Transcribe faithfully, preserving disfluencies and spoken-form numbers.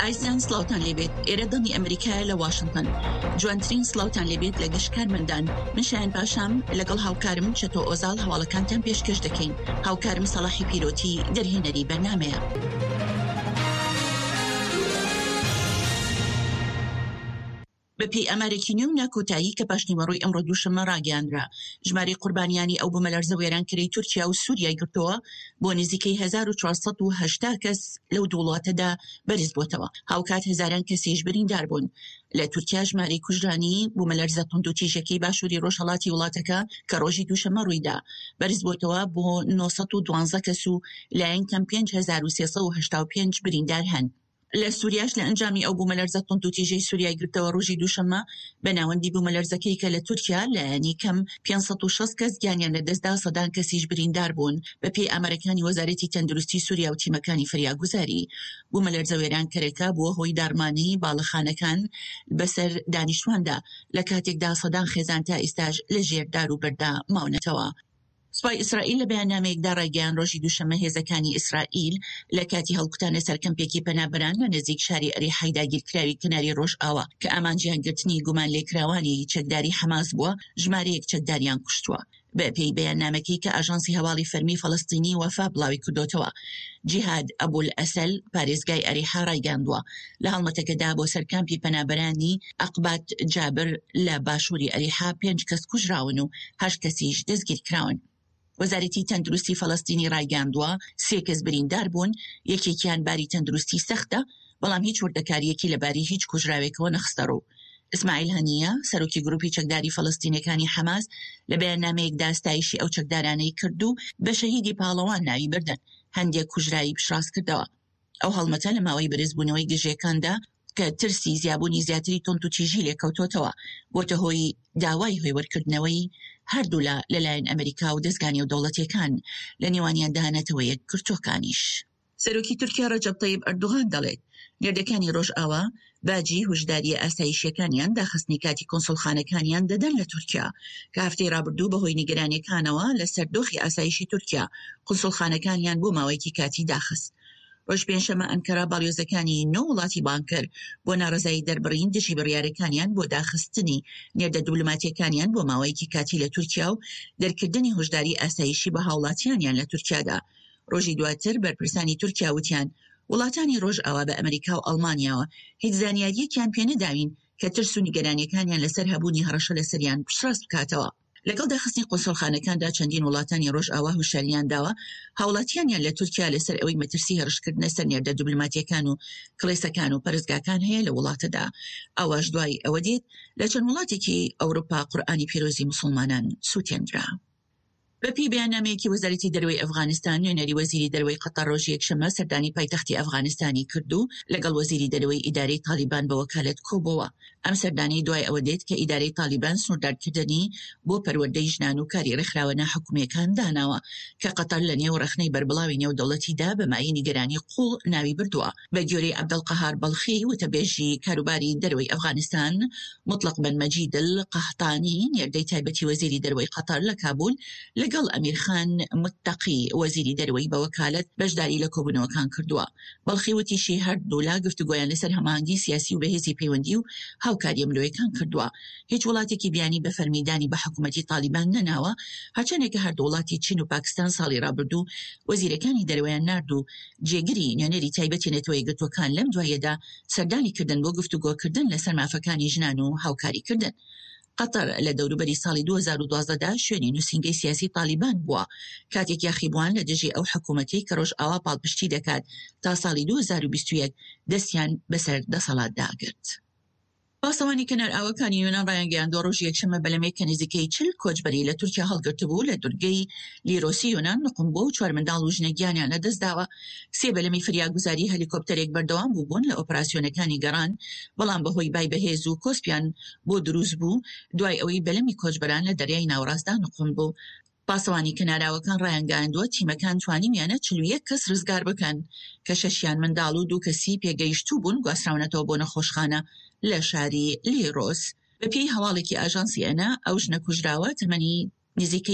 ئازیزان سڵاوتان لێبێت ئێرە دەنگی ئەمریکایە لە واشنتن جوانترین سڵاوتان لێبێت لە گشت کارمەندان من شایان پاشام لەگەڵ هاوکارم چەتۆ ئۆزاڵ هەواڵەکانتان پێشکەش دەکەین هاوکارم سەڵاحی پیرۆتی دەرهێنەری بەرنامەیە. بەپێی ئامارێکی نوێ و ناکۆتایی کە پاشنیوەڕۆی ئەمڕۆ دووشەممە ڕاگەیاندرا، ژمارەی قوربانیانی ئەو بوومەلەرزە وێرانکەرەی تورکیا و سووریای گرتەوە بۆ نزیکەی هەزار و چوار سەد و هەشتا کەس لەو دوو وڵاتەدا بەرزبووەتەوە، هاوکات هەزاران کەسیش بریندار بوون. لە تورکیا ژمارەی کوژرانی بوومەلەرزە توندوتیژەکەی باشووری ڕۆژهەڵاتی وڵاتەکە کە ڕۆژی دووشەممە ڕوویدا بەرزبووەتەوە بۆ نۆ سەد و دوازدە کەس و لایەن کەم پێنج هەزار و سێ سەد و هەشتا و پێنج بریندار هەن. لە سوریاش لە ئەنجامی ئەو بوومەلەرزە توندوتیژەی سوریای گرتەوە ڕۆژی دووشەممە بە ناوەندی بوومەلەرزەکەی کە لە تورکیا لایەنی کەم پێنج سەد و شەست کەس گیانیان لەدەستدا سەدان کەسیش بریندار بوون بەپێی ئامارەکانی وەزارەتی تەندروستی سوریا و تیمەکانی فریاگوزاری. بوومەلەرزە وێرانکەرەکە بووە هۆی داڕمانی باڵەخانەکان بەسەر دانیشتواندا لە کاتێکدا سەدان خێزان تا ئیستاش لە ژێر دار و بەردا ماونەتەوە. سوپای ئیسرائیل لە بەیاننامەیەکدا ڕایگەیاند، ڕۆژی دووشەممە هێزەکانی ئیسرائیل لە کاتی هەڵکوتانە سەر کەمپێکی پەنابەران لە نزیک شاری ئەریحای داگیرکراوی کەناری ڕۆژئاوا کە ئامانجیان گرتنی گومانلێکراوانی چەکداری حەماس بووە، ژمارەیەک چەکداریان کوشتووە. بەپێی بەیاننامەکەی کە ئاژانسی هەواڵی فەرمی فەڵەستینی وەفا بڵاویکردۆتەوە، جیهاد ئەبولئەسەل پارێزگای ئەریحا ڕایگەیاندووە، لە هەڵمەتەکەدا بۆ سەر کامپی پەنابەرانی ئەقبات جابر لە باشووری ئەریحا پێنج کەس کوژراون و هەشت کەسیش دەستگیرکراون. وەزارەتی تەندروستی فەڵەستینی ڕایگەیاندووە، سێ کەس بریندار بوون، یەکێکیان باری تەندروستی سەختە، بەڵام هیچ وردەکارییەکی لەبارەی هیچ کوژراوێکەوە نەخستەڕوو. ئیسماعیل هەنییە، سەرۆکی گروپی چەکداری فەڵەستینیەکانی حەماس لە بەیاننامەیەکدا ستایشی ئەو چەکدارانەی کرد و بە شەهیدی پاڵەوان ناوی بردن، هەندێک کوژراوی پشتڕاستکردەوە. ئەو هەڵمەتە لە ماوەی بەرزبوونەوەی گرژییەکاندا کە ترسی زیابوونی زیاتری توندوتیژی لێکەوتۆتەوە، بۆتە هۆی داوای هێورکردنەوەی هەردوولا لەلایەن ئەمریکا و دەزگا نێودەوڵەتییەکان، لە نێوانیاندا نەتەوە یەکگرتووەکانیش. سەرۆکی تورکیا ڕەجەب تەیب ئەردۆغان دەڵێت، نێردەکانی ڕۆژئاوا باجی هۆشدارییە ئاسایشییەکانیان داخستنی کاتی کونسوڵخانەکانیان دەدەن لە تورکیا، کە هەفتەی ڕابردوو بەهۆی نیگەرانییەکانەوە لەسەر دۆخی ئاسایشی تورکیا کونسوڵخانەکانیان بۆ ماوەیەکی کاتی داخست. ڕۆژ پێنجشەممە ئەنکەرە باڵیۆزەکانی نۆ وڵاتی بانگ کرد بۆ ناڕەزایی دەربڕین دژی بڕیارەکانیان بۆ داخستنی نێردە دیبلۆماتییەکانیان بۆ ماوەیەکی کاتی لە تورکیا و دەرکردنی هۆشداری ئاسایشی بە هاوڵاتیانیان لە تورکیادا. ڕۆژی دواتر بەرپرسانی تورکیا وتیان وڵاتانی ڕۆژئاوا بە ئەمریکا و ئەڵمانیاوە هیچ زانیارییەکیان پێنەداوین کە ترس و نیگەرانیەکانیان لەسەر هەبوونی هەڕەشە لەسەریان پشتڕاست بکاتەوە. لەگەڵ داخستنی قونسوڵخانەکاندا چەندین وڵاتانی ڕۆژئاوا هۆشیاریان داوە هاوڵاتیانیان لە تورکیا لەسەر ئەوەی مەترسی هێڕشکردنە سەر نێردە دیبلۆماتیەکان و کڵێسەکان و پەرستگاکان هەیە لە وڵاتەدا. ئەوەش دوای ئەوە دێت لە چەند وڵاتێکی ئەوروپا قورئانی پیرۆزی موسڵمانان سوتێندرا. بەپێی بەیاننامەیەکی وەزارەتی دەرەوەی ئەفغانستان، نوێنەری وەزیری دەرەوەی قەتەر ڕۆژی یەکشەممە سەردانی پایتەختی ئەفغانستانی کرد و لەگەڵ وەزیری دەرەوەی ئیدارەی تاڵیبان بە وەکالەت کۆبۆوە. ئەم سەردانەی دوای ئەوە دێت کە ئیدارەی تاڵیبان سنووردارکردنی بۆ پەروەردەی ژنان و کاری ڕێکخراوە ناحکومییەکان داناوە کە قەتەر لە نێو ڕەخنەی بەربڵاوی نێودەوڵەتیدا بە مایەی نیگەرانی قووڵ ناوی بردووە. بە گوێرەی عەبدولقەهار بەڵخی، وتەبێژی کاروباری دەرەوەی ئەفغانستان، موتڵەق بن مەجید القەحتانی، نێردەی تایبەتی وەزیری دەرەوەی قەتەر لە کابول، لەگەڵ ئەمیر خان متەقی، وەزیری دەرەوەی بە وەکالەت بەشداری لە کۆبوونەوەکان کردووە. بەڵخی وتیشی، هەردوولا گفتوگۆیان لەسەر هەماهەنگی سیاسی و بەهێزی پەیوەندی و هاوکارییە مرۆیەکان کردووە. هیچ وڵاتێکی بیانی بە فەرمی دانی بە حکومەتی تاڵیبان نەناوە، هەرچەندێکە هەردوو وڵاتی چین و پاکستان ساڵی ڕابردوو وەزیرەکانی دەرەوەیان نارد و جێگری نوێنەری تایبەتی نەتەوە یەکگرتووەکان لەم دواییەدا سەردانی کردن بۆ گفتوگۆکردن لەسەر مافەکانی ژنان و هاوکاریکردن. قەتەر لە دەوروبەری ساڵی دوو هەزار و دوازدە دا شوێنی نووسینگەی سیاسی تاڵیبان بووە، کاتێک یاخیبووان لە دژی ئەو حکوومەتەی کە ڕۆژئاوا پاڵپشتی دەکات تا ساڵی دوو هەزار و بیست و یەک دەستیان بەسەر دەسەڵاتدا گرت. پاسەوانی کەنارئاوەکانی یۆنان ڕایانگەیاندووە، ڕۆژی یەکشەممە بەلەمێک کە نزیکەی چل کۆچبەری لە تورکیا هەڵگرتبوو لە دورگەی لیرۆسی یۆنان نوقم بووە و چوار منداڵ و ژنێک گیانیان لەدەستداوە. سێ بەلەمی فریاگوزاری هەلیکۆپتەرێک بەردەوام بووبوون لە ئۆپراسیۆنەکانی گەڕان، بەڵام بەهۆی بای بەهێز و کۆسپیان بۆ دروست بوو دوای ئەوەی بەلەمی کۆچبەران لە دەریای ناوەڕاستدا نوقم بوو. پاسەوانی کەناراوەکان ڕایانگەیاندووە، تیمەکان توانیویانە چل و یەک کەس ڕزگار بکەن، کە شەشیان منداڵ و دوو کەسی پێگەیشتوو بوون گواستراونەتەوە بۆ نەخۆشخانە لە شاری لیرۆس. بەپێی هەواڵێکی ئاژانسی ئەنا، ئەو ژنە کوژراوە تەمەنی نزیکەی